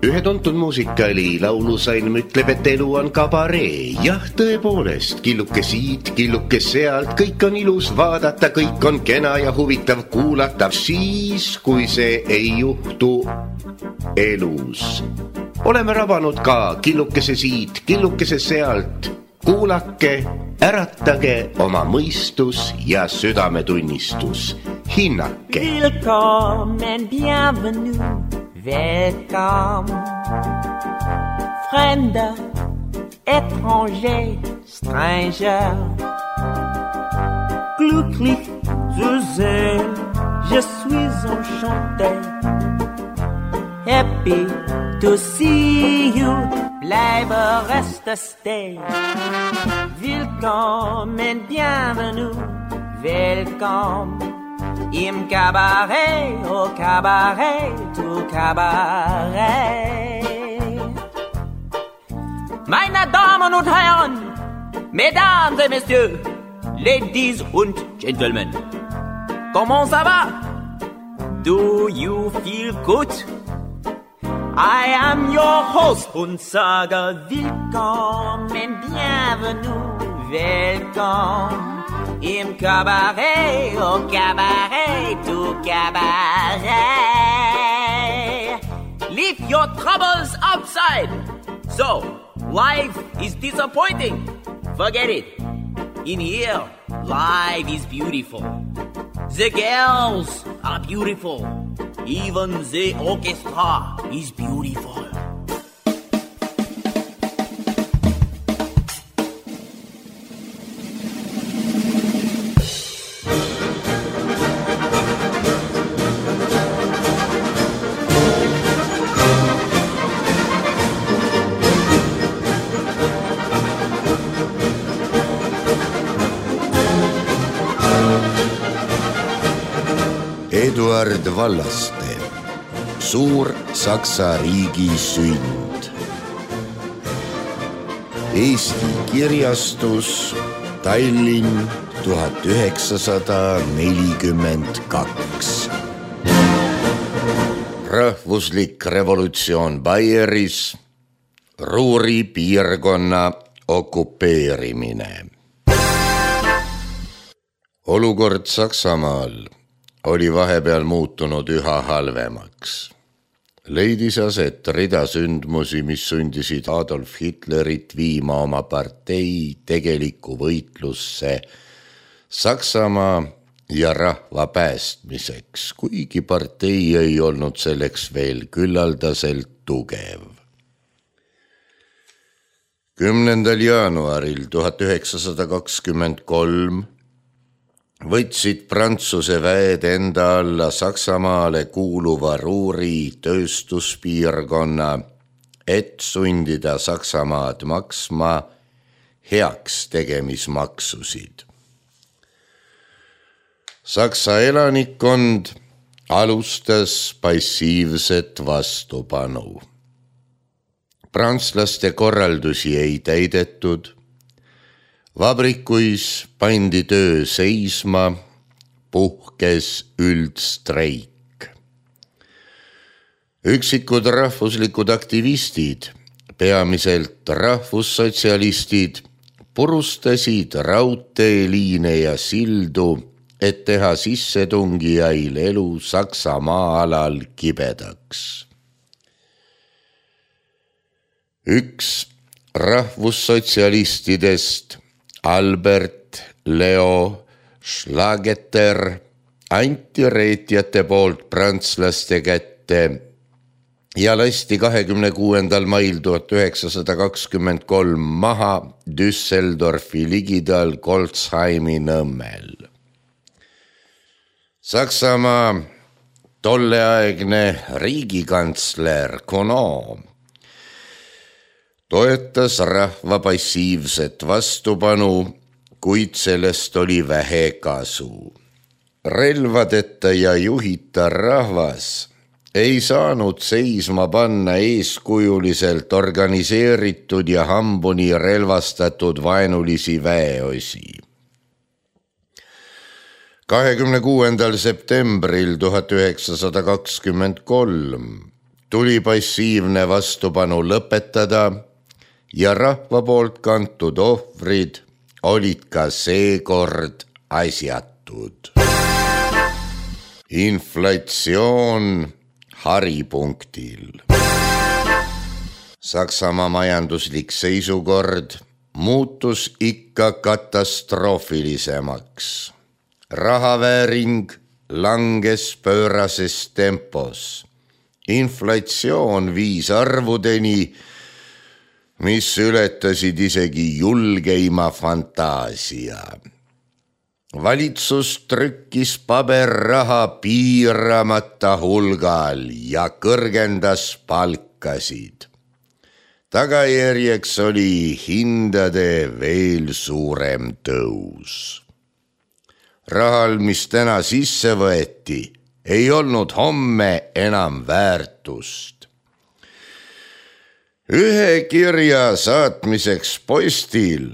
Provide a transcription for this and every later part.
Ühe tuntud muusikaali laulusalm ütleb, et elu on kabaree. Jah, tõepoolest, killuke siit, killuke sealt, kõik on ilus vaadata, kõik on kena ja huvitav kuulata, siis kui see ei juhtu elus. Oleme rabanud ka killukese siit, killukese sealt. Kuulake, äratage oma mõistus ja südametunnistus. Hinnake. Willkommen, bienvenue. Welcome, Fremder, étranger, stranger. Glücklich zu sehen, je suis enchanté. Happy to see you, bleibe, reste, stay. Willkommen, bienvenue, welcome. Im Cabaret, au Cabaret, tout Cabaret. Meine Damen und Herren, Mesdames et Messieurs, Ladies und Gentlemen, comment ça va? Do you feel good? I am your host und sage willkommen, bienvenue, welcome. Im Cabaret, au Cabaret, tout Cabaret. Leave your troubles outside. So, life is disappointing. Forget it. In here, life is beautiful. The girls are beautiful. Even the orchestra is beautiful. Eduard Vallaste, suur Saksa riigi sünd. Eesti kirjastus, Tallinn 1942. Rahvuslik revolutsioon Baieris, Ruhri piirkonna okupeerimine. Olukord Saksamaal oli vahepeal muutunud üha halvemaks. Leidis aset rida sündmusi, mis sundisid Adolf Hitlerit viima oma partei tegelikku võitlusse Saksamaa ja rahva päästmiseks, kuigi partei ei olnud selleks veel küllaldaselt tugev. 10. jaanuaril 1923 võtsid Prantsuse väed enda alla Saksamaale kuuluva Ruhri tööstuspiirkonna, et sundida Saksamaad maksma heaks tegemismaksusid. Saksa elanikkond alustas passiivset vastupanu. Prantslaste korraldusi ei täidetud, vabrikuis pandi töö seisma, puhkes üldstreik. Üksikud rahvuslikud aktivistid, peamiselt rahvussotsialistid, purustasid raudteeliine ja sildu, et teha sissetungijail elu Saksamaa alal kibedaks. Üks rahvussotsialistidest, Albert Leo Schlageter, anti reetjate poolt prantslaste kätte ja lasti 26. mail 1923 maha Düsseldorfi ligidal Golzheimi nõmmel. Saksamaa tolleaegne riigikantsler Kono toetas rahva passiivset vastupanu, kuid sellest oli vähe kasu. Relvadeta ja juhita rahvas ei saanud seisma panna eeskujuliselt organiseeritud ja hambuni relvastatud vaenulisi väeosi. 26. septembril 1923 tuli passiivne vastupanu lõpetada ja rahva poolt kantud ohvrid olid ka seekord asjatud. Inflatsioon haripunktil. Saksamaa majanduslik seisukord muutus ikka katastroofilisemaks. Rahavääring langes pöörases tempos. Inflatsioon viis arvudeni, mis ületasid isegi julgeima fantaasia. Valitsus trükkis paberraha piiramata hulgal ja kõrgendas palkasid. Tagajärjeks oli hindade veel suurem tõus. Rahal, mis täna sisse võeti, ei olnud homme enam väärtust. Ühe kirja saatmiseks postil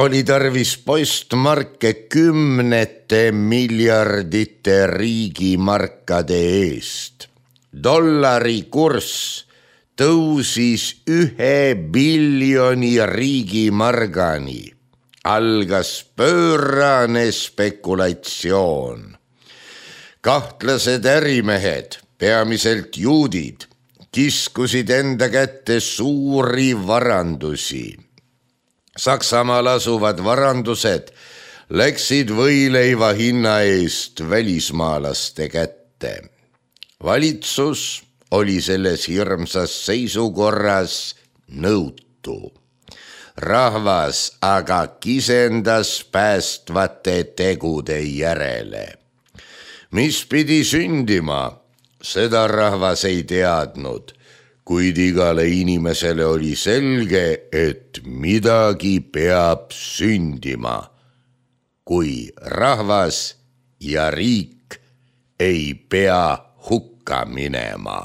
oli tarvis postmarke 10 miljardite riigimarkade eest. Dollari kurss tõusis 1 biljoni riigimargani. Algas pöörane spekulatsioon. Kahtlased ärimehed, peamiselt juudid, kiskusid enda kätte suuri varandusi. Saksamaal asuvad varandused läksid võileiva hinna eest välismaalaste kätte. Valitsus oli selles hirmsas seisukorras nõutu. Rahvas aga kisendas päästvate tegude järele. Mis pidi sündima, seda rahvas ei teadnud, kuid igale inimesele oli selge, et midagi peab sündima, kui rahvas ja riik ei pea hukka minema.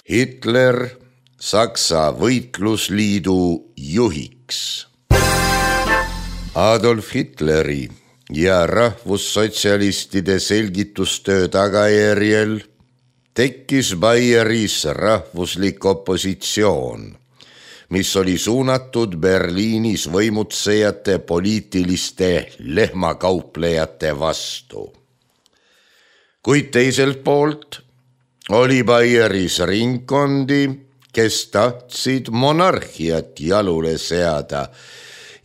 Hitler Saksa võitlusliidu juhiks. Adolf Hitleri ja rahvussotsialistide selgitustöö tagajärjel tekkis Baieris rahvuslik opositsioon, mis oli suunatud Berliinis võimutsejate poliitiliste lehmakauplejate vastu. Kuid teiselt poolt oli Baieris ringkondi, kes tahtsid monarhiat jalule seada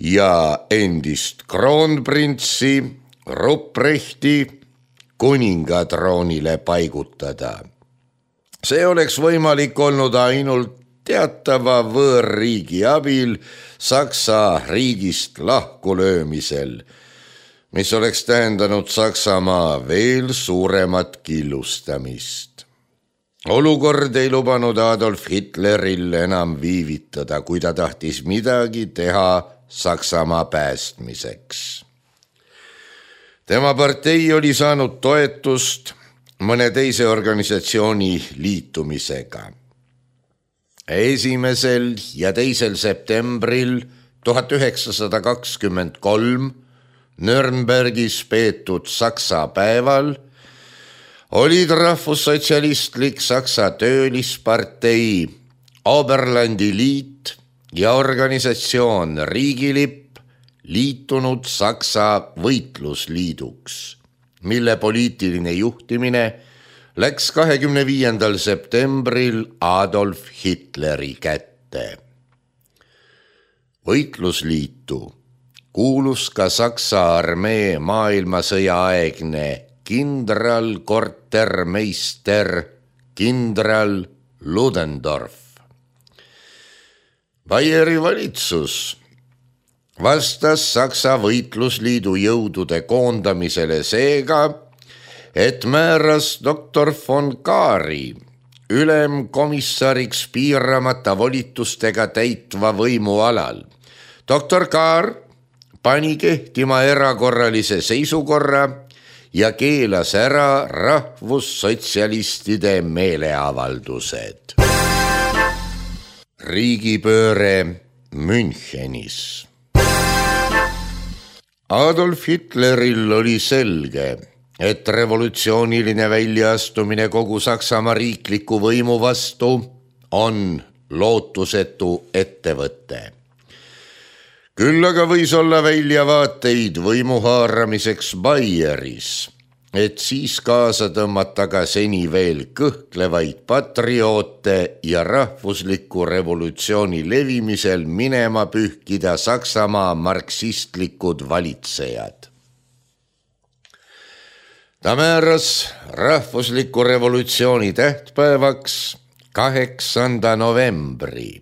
ja endist kroonprintsi Ruprechti kuningatroonile paigutada. See oleks võimalik olnud ainult teatava võõrriigi abil Saksa riigist lahkulöömisel, mis oleks tähendanud Saksamaa veel suuremat killustamist. Olukord ei lubanud Adolf Hitleril enam viivitada, kui ta tahtis midagi teha Saksamaa päästmiseks. Tema partei oli saanud toetust mõne teise organisatsiooni liitumisega. 1. ja 2. septembril 1923 Nürnbergis peetud Saksa päeval olid rahvussotsialistlik Saksa töölispartei, Oberlandi liit ja organisatsioon Riigilipp liitunud Saksa võitlusliiduks, mille poliitiline juhtimine läks 25. septembril Adolf Hitleri kätte. Võitlusliitu kuulus ka Saksa armee maailmasõja aegne kindralkortermeister kindral Ludendorff. Baieri valitsus vastas Saksa võitlusliidu jõudude koondamisele seega, et määras doktor von Kaari ülemkomissariks piiramata volitustega täitva võimu alal. Doktor Kaar pani kehtima erakorralise seisukorra ja keelas ära rahvussotsialistide meeleavaldused. Riigipööre Münchenis. Adolf Hitleril oli selge, et revolutsiooniline väljaastumine kogu Saksamaa riikliku võimu vastu on lootusetu ettevõte. Küll aga võis olla väljavaateid võimu haaramiseks Baieris, et siis kaasa tõmmata ka seni veel kõhklevaid patrioote ja rahvusliku revolutsiooni levimisel minema pühkida Saksamaa marksistlikud valitsejad. Ta määras rahvusliku revolutsiooni tähtpäevaks 8. novembri,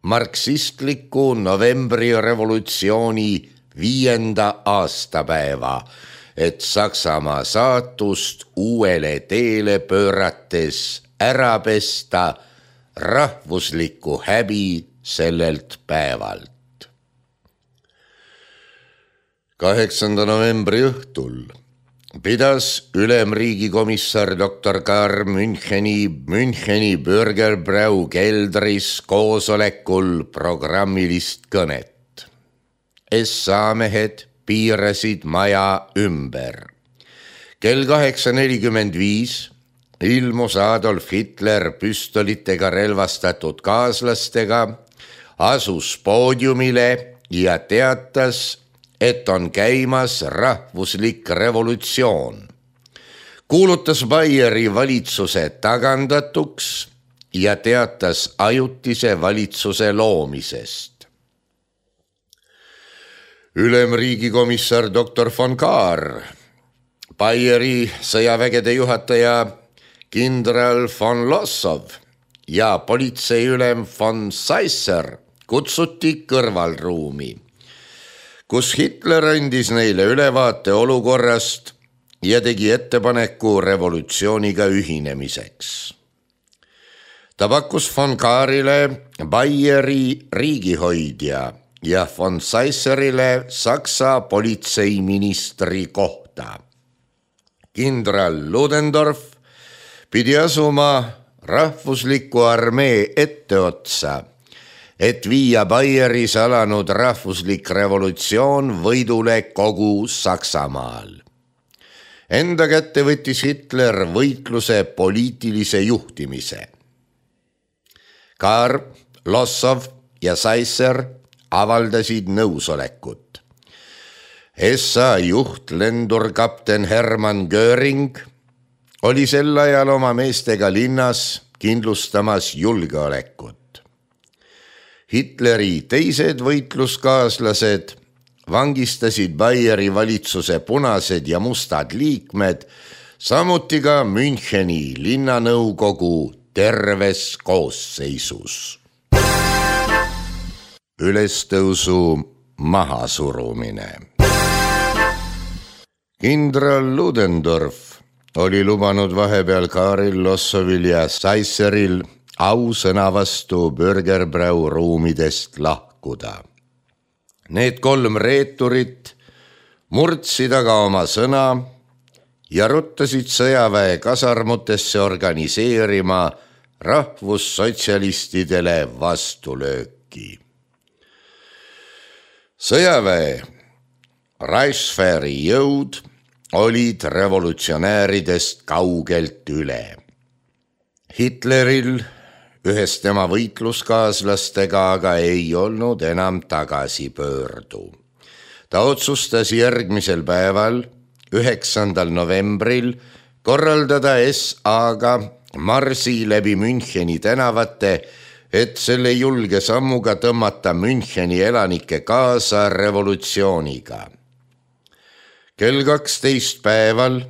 marksistliku novembri revolutsiooni 5. aastapäeva, et Saksamaa saatust uuele teele pöörates ära pesta rahvuslikku häbi sellelt päevalt. 8. novembri õhtul pidas ülemriigikomissar Dr. Karl Müncheni Bürgerbrau keldris koosolekul programmilist kõnet. SA mehed piirasid maja ümber. Kell 8:45 ilmus Adolf Hitler püstolitega relvastatud kaaslastega, asus poodiumile ja teatas, et on käimas rahvuslik revolutsioon. Kuulutas Baieri valitsuse tagandatuks ja teatas ajutise valitsuse loomisest. Ülemriigikomissar Dr. von Kahr, Baieri sõjavägede juhataja kindral von Lossow ja politseiülem von Seisser kutsuti kõrvalruumi, kus Hitler andis neile ülevaate olukorrast ja tegi ettepaneku revolutsiooniga ühinemiseks. Ta pakkus von Kahrile Baieri riigihoidja ja von Seisserile Saksa politseiministri kohta. Kindral Ludendorff pidi asuma rahvusliku armee etteotsa, et viia Baieris alanud rahvuslik revolutsioon võidule kogu Saksamaal. Enda kätte võttis Hitler võitluse poliitilise juhtimise. Kahr, Lossow ja Seisser avaldasid nõusolekut. SA juht lendurkapten Hermann Göring oli sel ajal oma meestega linnas kindlustamas julgeolekut. Hitleri teised võitluskaaslased vangistasid Baieri valitsuse punased ja mustad liikmed, samuti ka Müncheni linnanõukogu terves koosseisus. Ülestõusu mahasurumine. Kindral Ludendorff oli lubanud vahepeal Kahril, Lossowil ja Seisseril ausõna vastu Bürgerbrau ruumidest lahkuda. Need 3 reeturit murdsid aga oma sõna ja ruttasid sõjaväe kasarmutesse organiseerima rahvussotsialistidele vastulööki. Sõjaväe Reichswehri jõud olid revolutsionääridest kaugelt üle. Hitleril ühes tema võitluskaaslastega aga ei olnud enam tagasipöördu. Ta otsustas järgmisel päeval, 9. novembril, korraldada SA-ga marsi läbi Müncheni tänavate, et selle julge sammuga tõmmata Müncheni elanikke kaasa revolutsiooniga. Kell 12 päeval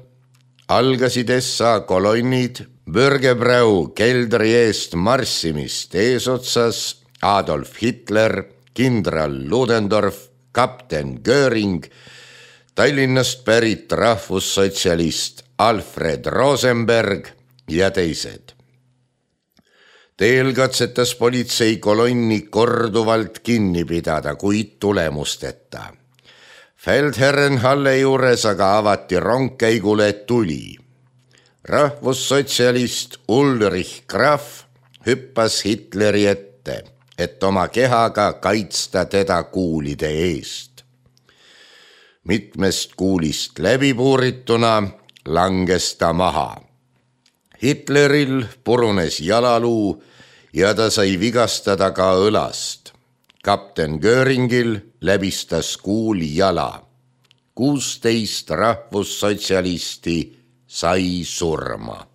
algasid SA kolonnid Bürgerbrau keldri eest marssimist eesotsas Adolf Hitler, kindral Ludendorff, kapten Göring, Tallinnast pärit rahvussotsialist Alfred Rosenberg ja teised. Teel katsetas politsei kolonni korduvalt kinni pidada, kuid tulemusteta. Feldherrenhalle juures aga avati rongkäigule tuli. Rahvussotsialist Ulrich Graf hüppas Hitleri ette, et oma kehaga kaitsta teda kuulide eest. Mitmest kuulist läbipuurituna langes ta maha. Hitleril purunes jalaluu ja ta sai vigastada ka õlast. Kapten Göringil läbistas kuul jala. 16 rahvussotsialisti sai surma.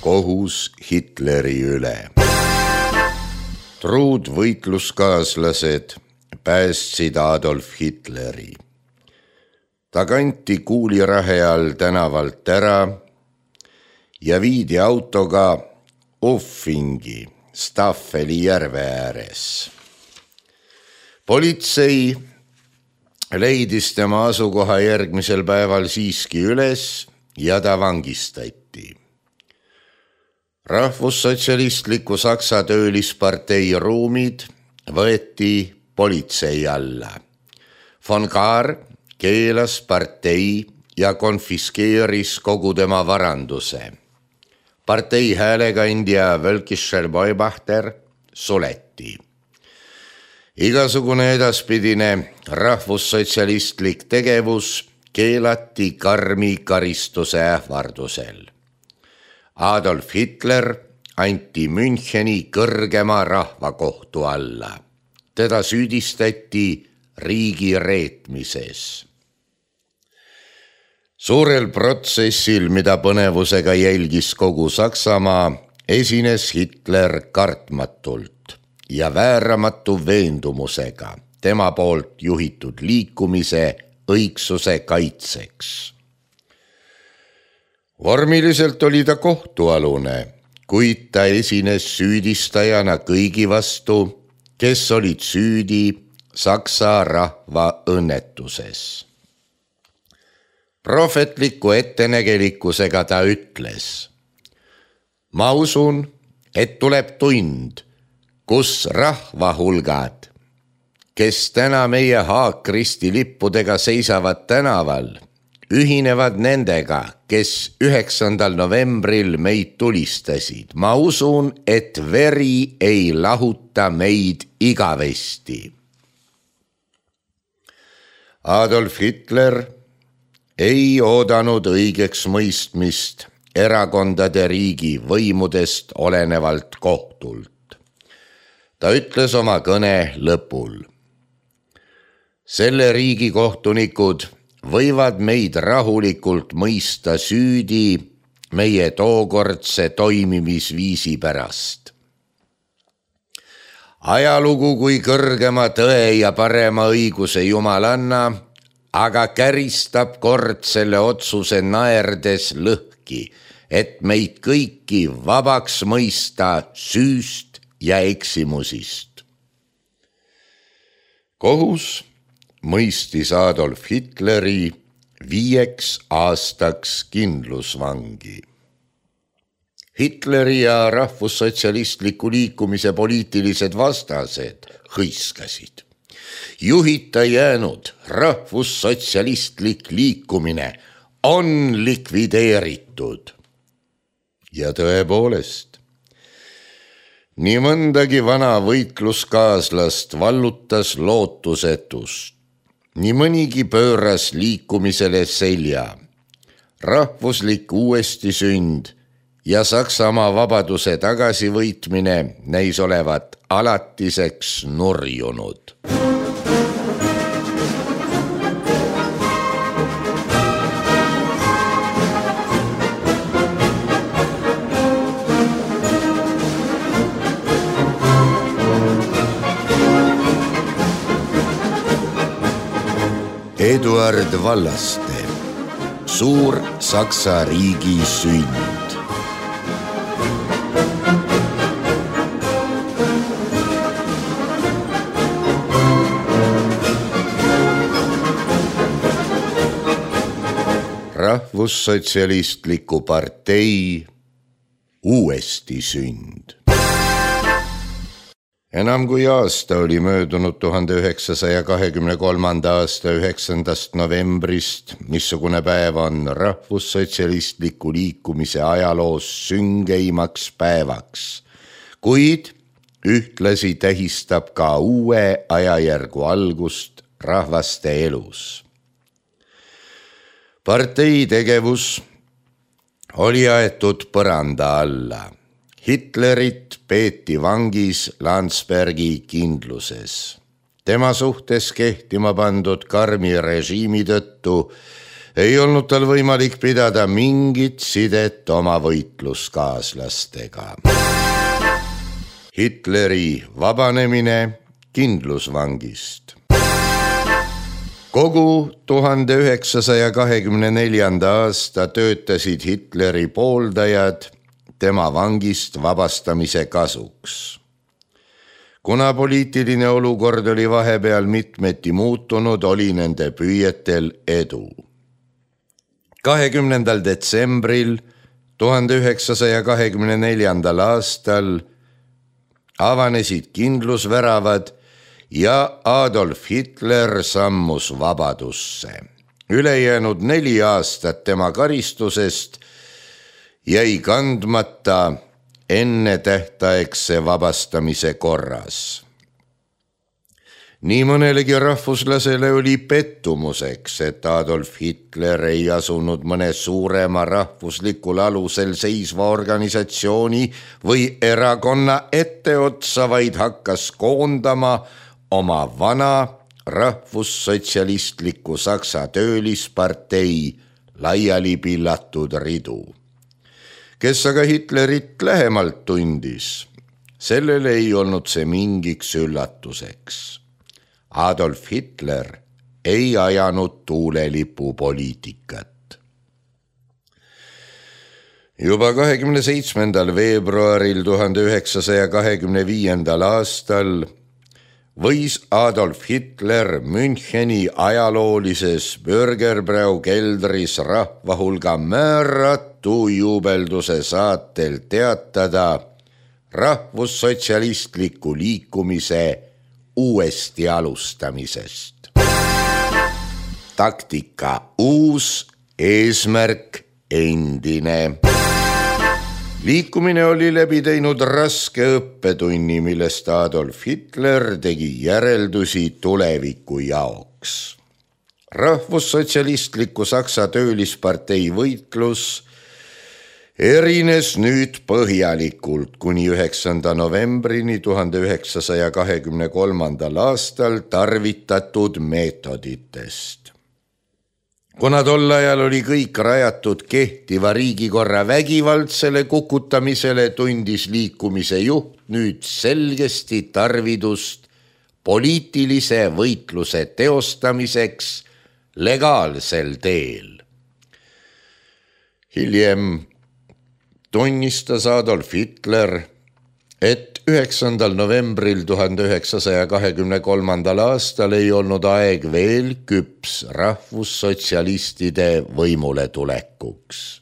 Kohus Hitleri üle. Truud võitluskaaslased päästsid Adolf Hitleri. Ta kanti kuulirahe all tänavalt ära ja viidi autoga Uffingi Staffeli järve ääres. Politsei leidis tema asukoha järgmisel päeval siiski üles ja ta vangistati. Rahvussotsialistliku Saksa töölispartei ruumid võeti politsei alla. Von Kahr keelas partei ja konfiskeeris kogu tema varanduse. Partei häälekandja Völkischer Beobachter suleti. Igasugune edaspidine rahvussotsialistlik tegevus keelati karmi karistuse ähvardusel. Adolf Hitler anti Müncheni kõrgema rahvakohtu alla. Teda süüdistati riigi reetmises. Suurel protsessil, mida põnevusega jälgis kogu Saksamaa, esines Hitler kartmatult ja vääramatu veendumusega tema poolt juhitud liikumise õigsuse kaitseks. Vormiliselt oli ta kohtualune, kuid ta esines süüdistajana kõigi vastu, kes olid süüdi Saksa rahva õnnetuses. Prohvetliku ettenägelikkusega ta ütles: ma usun, et tuleb tund, kus rahva hulgad, kes täna meie haakristi lippudega seisavad tänaval, ühinevad nendega, kes 9. novembril meid tulistasid. Ma usun, et veri ei lahuta meid igavesti. Adolf Hitler ei oodanud õigeks mõistmist erakondade riigi võimudest olenevalt kohtult. Ta ütles oma kõne lõpul: selle riigi kohtunikud võivad meid rahulikult mõista süüdi meie tookordse toimimisviisi pärast. Ajalugu kui kõrgema tõe ja parema õiguse jumalanna aga käristab kord selle otsuse naerdes lõhki, et meid kõiki vabaks mõista süüst ja eksimusist. Kohus mõistis Adolf Hitleri 5 aastaks kindlusvangi. Hitleri ja rahvussotsialistliku liikumise poliitilised vastased hõiskasid: juhita jäänud rahvussotsialistlik liikumine on likvideeritud. Ja tõepoolest, nii mõndagi vana võitluskaaslast vallutas lootusetust. Nii mõnigi pööras liikumisele selja. Rahvuslik uuestisünd ja Saksamaa vabaduse tagasivõitmine näis olevat alatiseks nurjunud. Eduard Vallaste, suur Saksa riigi sünd. Rahvussotsialistliku partei uuestisünd. Enam kui aasta oli möödunud 1923. aasta 9. novembrist, missugune päev on rahvussotsialistliku liikumise ajaloos süngeimaks päevaks, kuid ühtlasi tähistab ka uue ajajärgu algust rahvaste elus. Partei tegevus oli aetud põranda alla. Hitlerit peeti vangis Landsbergi kindluses. Tema suhtes kehtima pandud karmi režiimi tõttu ei olnud tal võimalik pidada mingit sidet oma võitluskaaslastega. Hitleri vabanemine kindlusvangist. Kogu 1924. aasta töötasid Hitleri pooldajad tema vangist vabastamise kasuks. Kuna poliitiline olukord oli vahepeal mitmeti muutunud, oli nende püüetel edu. 20. detsembril 1924. aastal avanesid kindlusväravad ja Adolf Hitler sammus vabadusse. Ülejäänud 4 aastat tema karistusest jäi kandmata enne tähtaegse vabastamise korras. Nii mõnelegi rahvuslasele oli pettumuseks, et Adolf Hitler ei asunud mõne suurema rahvuslikul alusel seisva organisatsiooni või erakonna etteotsa, vaid hakkas koondama oma vana rahvussotsialistliku Saksa töölispartei laiali pillatud ridu. Kes aga Hitlerit lähemalt tundis, sellele ei olnud see mingiks üllatuseks. Adolf Hitler ei ajanud tuulelipupoliitikat. Juba 27. veebruaril 1925. aastal võis Adolf Hitler Müncheni ajaloolises Bürgerbrau keldris rahvahulga määratu juubelduse saatel teatada rahvussotsialistliku liikumise uuesti alustamisest. Taktika uus, eesmärk endine. Liikumine oli läbi teinud raske õppetunni, millest Adolf Hitler tegi järeldusi tuleviku jaoks. Rahvussotsialistliku Saksa töölispartei võitlus erines nüüd põhjalikult kuni 9. novembrini 1923. aastal tarvitatud meetoditest. Kuna tol ajal oli kõik rajatud kehtiva riigikorra vägivaldsele kukutamisele, tundis liikumise juht nüüd selgesti tarvidust poliitilise võitluse teostamiseks legaalsel teel. Hiljem tunnistas Adolf Hitler, et 9. novembril 1923. aastal ei olnud aeg veel küps rahvussotsialistide võimule tulekuks.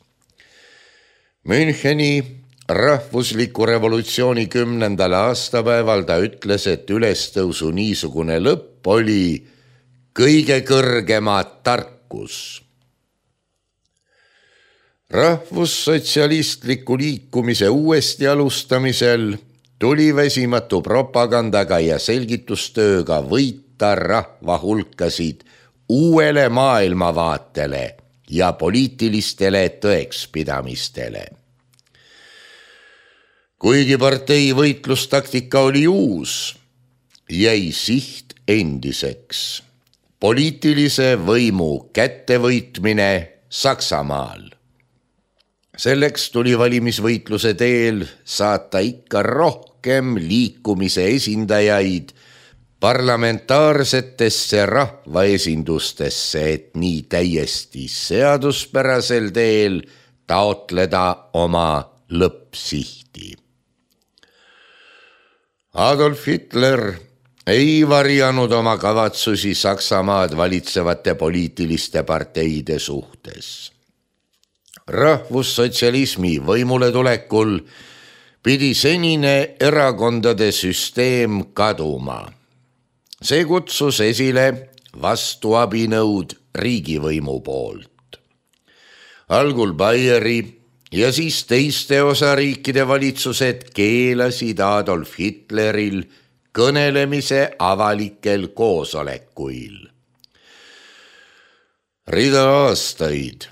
Müncheni rahvusliku revolutsiooni 10. aastapäeval ta ütles, et ülestõusu niisugune lõpp oli kõige kõrgema tarkus. Rahvussotsialistliku liikumise uuesti alustamisel tuli väsimatu propagandaga ja selgitustööga võita rahva hulkasid uuele maailmavaatele ja poliitilistele tõekspidamistele. Kuigi partei võitlustaktika oli uus, jäi siht endiseks: poliitilise võimu kättevõitmine Saksamaal. Selleks tuli valimisvõitluse teel saata ikka rohkem liikumise esindajaid parlamentaarsetesse rahvaesindustesse, et nii täiesti seaduspärasel teel taotleda oma lõppsihti. Adolf Hitler ei varjanud oma kavatsusi Saksamaad valitsevate poliitiliste parteide suhtes. Rahvussotsialismi võimule tulekul pidi senine erakondade süsteem kaduma. See kutsus esile vastuabinõud riigivõimu poolt. Algul Baieri ja siis teiste osariikide valitsused keelasid Adolf Hitleril kõnelemise avalikel koosolekuil. Rida aastaid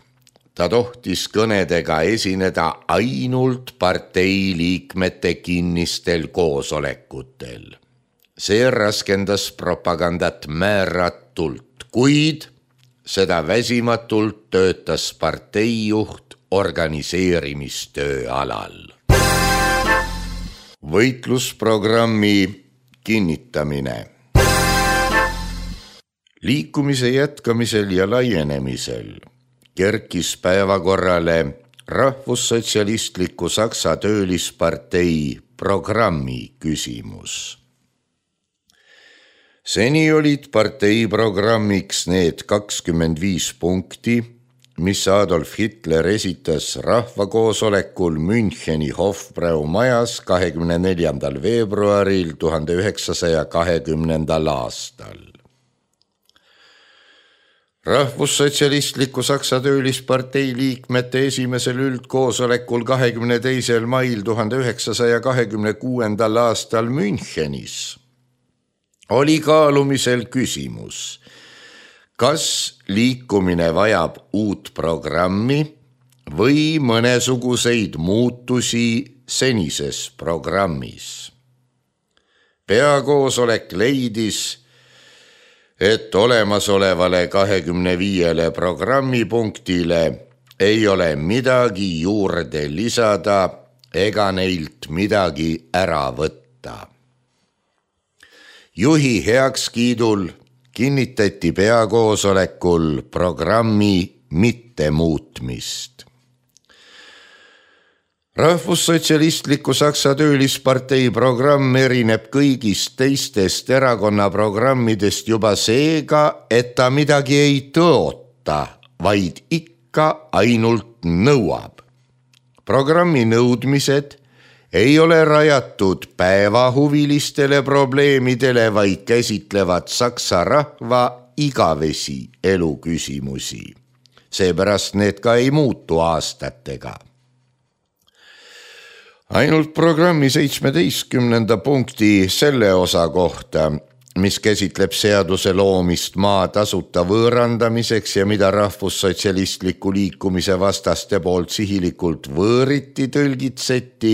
ta tohtis kõnedega esineda ainult partei liikmete kinnistel koosolekutel. See raskendas propagandat määratult, kuid seda väsimatult töötas parteijuht organiseerimistöö alal. Võitlusprogrammi kinnitamine. Liikumise jätkamisel ja laienemisel kerkis päevakorrale Rahvussotsialistliku Saksa töölispartei programmi küsimus. Seni olid partei programmiks need 25 punkti, mis Adolf Hitler esitas rahvakoosolekul Müncheni Hofbrau majas 24. veebruaril 1920. aastal. Rahvussotsialistliku Saksa töölispartei liikmete esimesel üldkoosolekul 22. mail 1926. aastal Münchenis oli kaalumisel küsimus, kas liikumine vajab uut programmi või mõnesuguseid muutusi senises programmis. Peakoosolek leidis, et olemasolevale 25 programmipunktile ei ole midagi juurde lisada ega neilt midagi ära võtta. Juhi heakskiidul kinnitati peakoosolekul programmi mittemuutmist. Rahvussotsialistliku Saksa töölispartei programm erineb kõigist teistest erakonna programmidest juba seega, et ta midagi ei tõota, vaid ikka ainult nõuab. Programmi nõudmised ei ole rajatud päevahuvilistele probleemidele, vaid käsitlevad saksa rahva igavesi eluküsimusi. Seepärast need ka ei muutu aastatega. Ainult programmi 17. punkti selle osa kohta, mis käsitleb seaduse loomist maa tasuta võõrandamiseks ja mida rahvussotsialistliku liikumise vastaste poolt sihilikult võõriti tõlgitseti,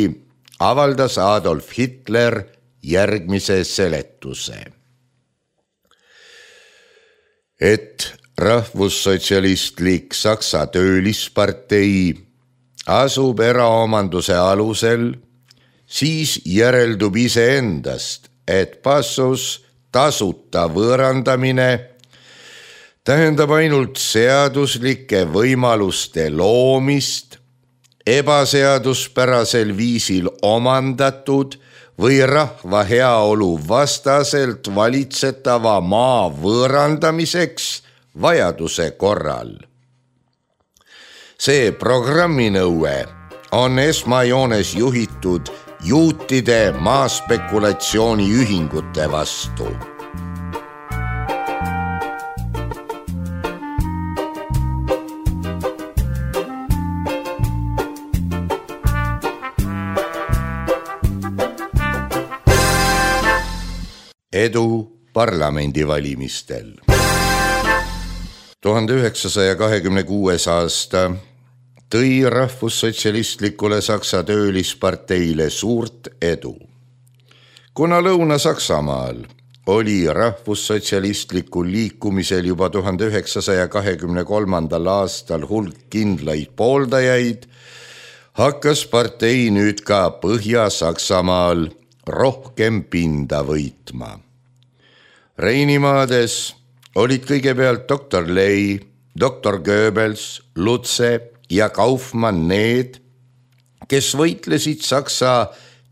avaldas Adolf Hitler järgmise seletuse. Et rahvussotsialistlik Saksa töölispartei asub eraomanduse alusel, siis järeldub iseendast, et passus tasuta võõrandamine tähendab ainult seaduslike võimaluste loomist, ebaseaduspärasel viisil omandatud või rahva heaolu vastaselt valitsetava maa võõrandamiseks vajaduse korral. See programminõue on esmajoones juhitud juutide maaspekulatsiooni ühingute vastu. Edu parlamendivalimistel. 1926. aasta tõi rahvussotsialistlikule Saksa töölisparteile suurt edu. Kuna Lõuna-Saksamaal oli rahvussotsialistlikul liikumisel juba 1923. aastal hulk kindlaid pooldajaid, hakkas partei nüüd ka Põhja-Saksamaal rohkem pinda võitma. Reinimaades olid kõigepealt doktor Ley, doktor Goebbels, Lutze ja Kaufmann need, kes võitlesid Saksa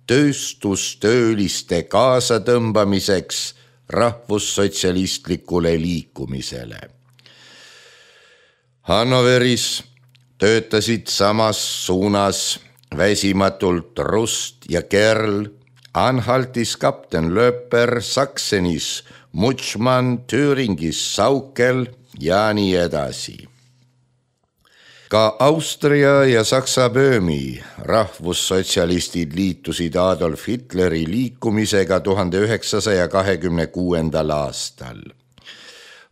tööstustööliste kaasatõmbamiseks rahvussotsialistlikule liikumisele. Hannoveris töötasid samas suunas väsimatult Rust ja Kerl, Anhaltis kapten Löper, Saksenis Mutschmann, Thüringis Saukel ja nii edasi. Ka Austria ja Saksa Böömi rahvussotsialistid liitusid Adolf Hitleri liikumisega 1926. aastal.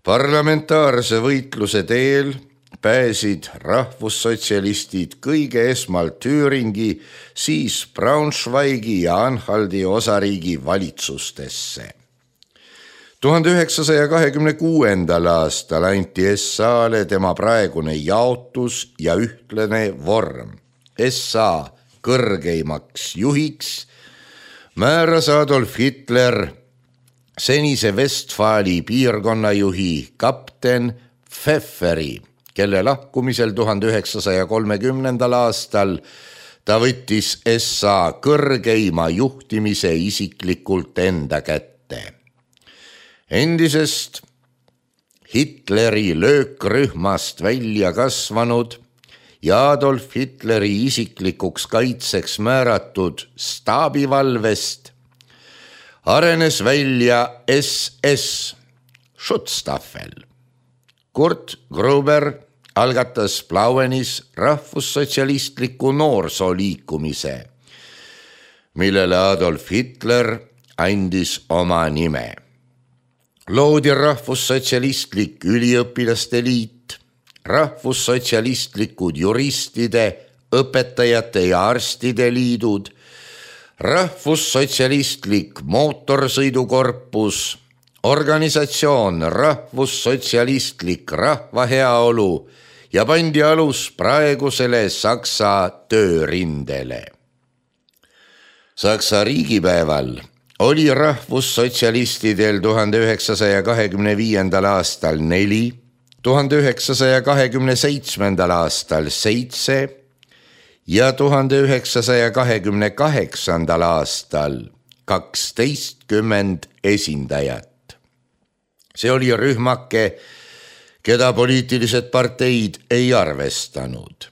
Parlamentaarse võitluse teel pääsid rahvussotsialistid kõige esmalt Thüringi, siis Braunschweigi ja Anhaldi osariigi valitsustesse. 1926. aastal anti SA-le tema praegune jaotus ja ühtlane vorm. SA kõrgeimaks juhiks määras Adolf Hitler senise Westfali piirkonnajuhi kapten Pfefferi, kelle lahkumisel 1930. aastal ta võttis SA kõrgeima juhtimise isiklikult enda kätte. Endisest Hitleri löökrühmast välja kasvanud ja Adolf Hitleri isiklikuks kaitseks määratud staabivalvest arenes välja SS Schutzstaffel. Kurt Gruber algatas Plauenis rahvussotsialistliku noorsooliikumise, millele Adolf Hitler andis oma nime. Loodi rahvussotsialistlik üliõpilaste liit, rahvussotsialistlikud juristide, õpetajate ja arstide liidud, rahvussotsialistlik mootorsõidukorpus, organisatsioon rahvussotsialistlik rahvaheaolu ja pandi alus praegusele Saksa töörindele. Saksa riigipäeval oli rahvussotsialistidel 1925. aastal 4, 1927. aastal 7 ja 1928. aastal 12 esindajat. See oli rühmake, keda poliitilised parteid ei arvestanud.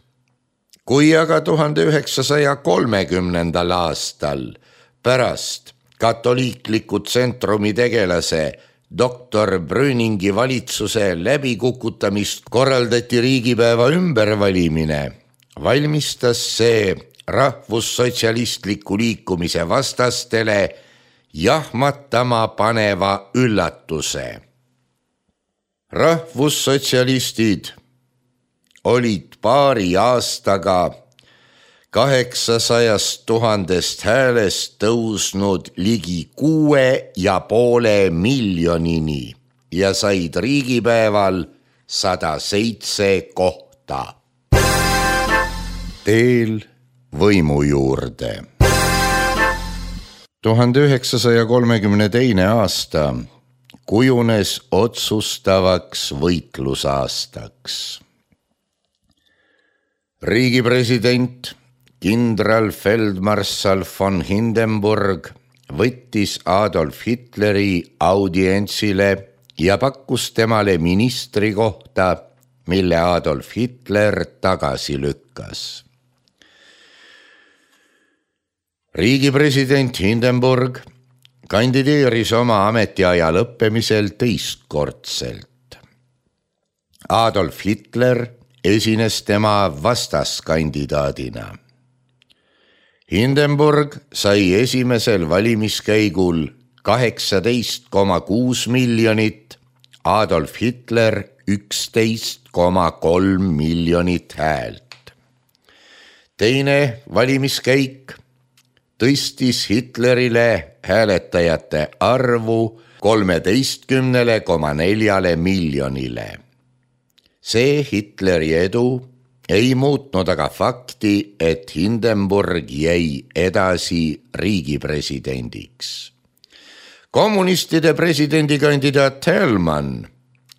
Kui aga 1930. aastal pärast katoliikliku tsentrumi tegelase doktor Brüningi valitsuse läbikukutamist korraldati riigipäeva ümbervalimine, valmistas see rahvussotsialistliku liikumise vastastele jahmatama paneva üllatuse. Rahvussotsialistid olid paari aastaga 800 000 häälest tõusnud ligi 6,5 miljonini ja said riigipäeval 107 kohta. Teel võimu juurde. 1932. aasta kujunes otsustavaks võitlusaastaks. Riigipresident kindralfeldmarssal von Hindenburg võttis Adolf Hitleri audientsile ja pakkus temale ministri kohta, mille Adolf Hitler tagasi lükkas. Riigipresident Hindenburg kandideeris oma ametiaja lõppemisel teistkordselt. Adolf Hitler esines tema vastaskandidaadina. Hindenburg sai esimesel valimiskäigul 18,6 miljonit, Adolf Hitler 11,3 miljonit häält. Teine valimiskäik tõstis Hitlerile hääletajate arvu 13,4 miljonile. See Hitleri edu ei muutnud aga fakti, et Hindenburg jäi edasi riigipresidendiks. Kommunistide presidendikandidaat Thälmann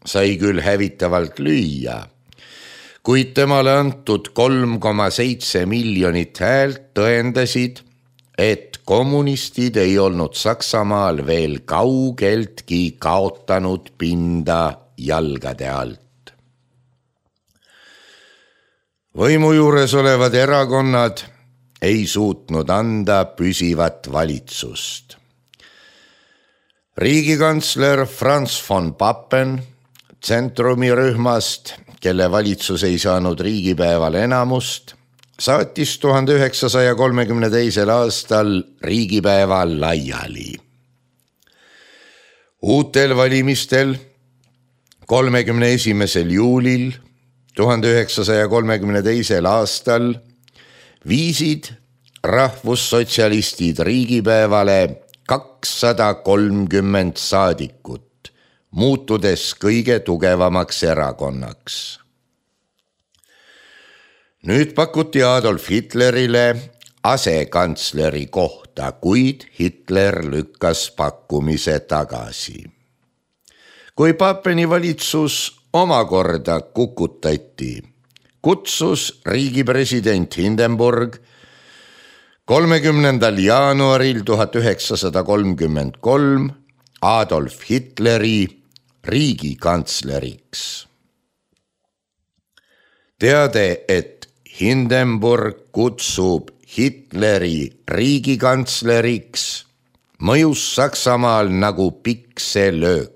sai küll hävitavalt lüüa, kuid temale antud 3,7 miljonit häält tõendasid, et kommunistid ei olnud Saksamaal veel kaugeltki kaotanud pinda jalgade alt. Võimu juures olevad erakonnad ei suutnud anda püsivat valitsust. Riigikantsler Franz von Papen Centrumi rühmast, kelle valitsus ei saanud riigipäeval enamust, saatis 1932. aastal riigipäeva laiali. Uutel valimistel 31. juulil 1932. aastal viisid rahvussotsialistid riigipäevale 230 saadikut, muutudes kõige tugevamaks erakonnaks. Nüüd pakuti Adolf Hitlerile asekantsleri kohta, kuid Hitler lükkas pakkumise tagasi. Kui Papeni valitsus omakorda kukutati, kutsus riigipresident Hindenburg 30. jaanuaril 1933 Adolf Hitleri riigikantsleriks. Teade, et Hindenburg kutsub Hitleri riigikantsleriks, mõjus Saksamaal nagu pikselöök.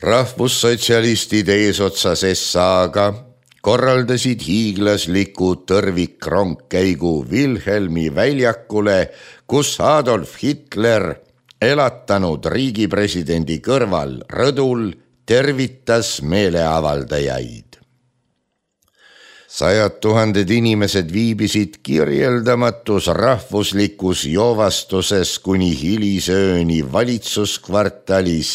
Rahvussotsialistid eesotsas SA-ga korraldasid hiiglasliku tõrvikrongkäigu Wilhelmi väljakule, kus Adolf Hitler, elatanud riigipresidendi kõrval rõdul, tervitas meeleavaldajaid. 100 000 inimesed viibisid kirjeldamatus rahvuslikus joovastuses kuni hilisööni valitsuskvartalis,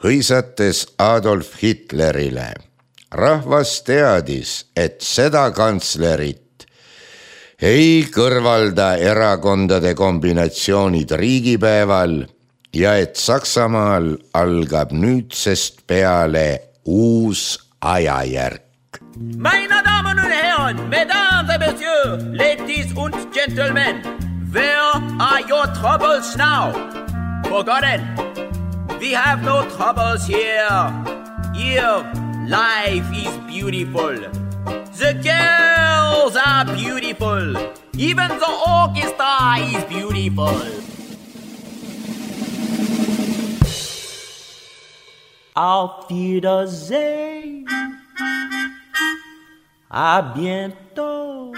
hõisates Adolf Hitlerile. Rahvas teadis, et seda kantslerit ei kõrvalda erakondade kombinatsioonid riigipäeval ja et Saksamaal algab nüüdsest peale uus ajajärk. Meine Damen und Herren, Mesdames et Messieurs, Ladies und Gentlemen, where are your troubles now? Forgotten. We have no troubles here. Here, life is beautiful. The girls are beautiful. Even the orchestra is beautiful. Auf Wiedersehen. À bientôt.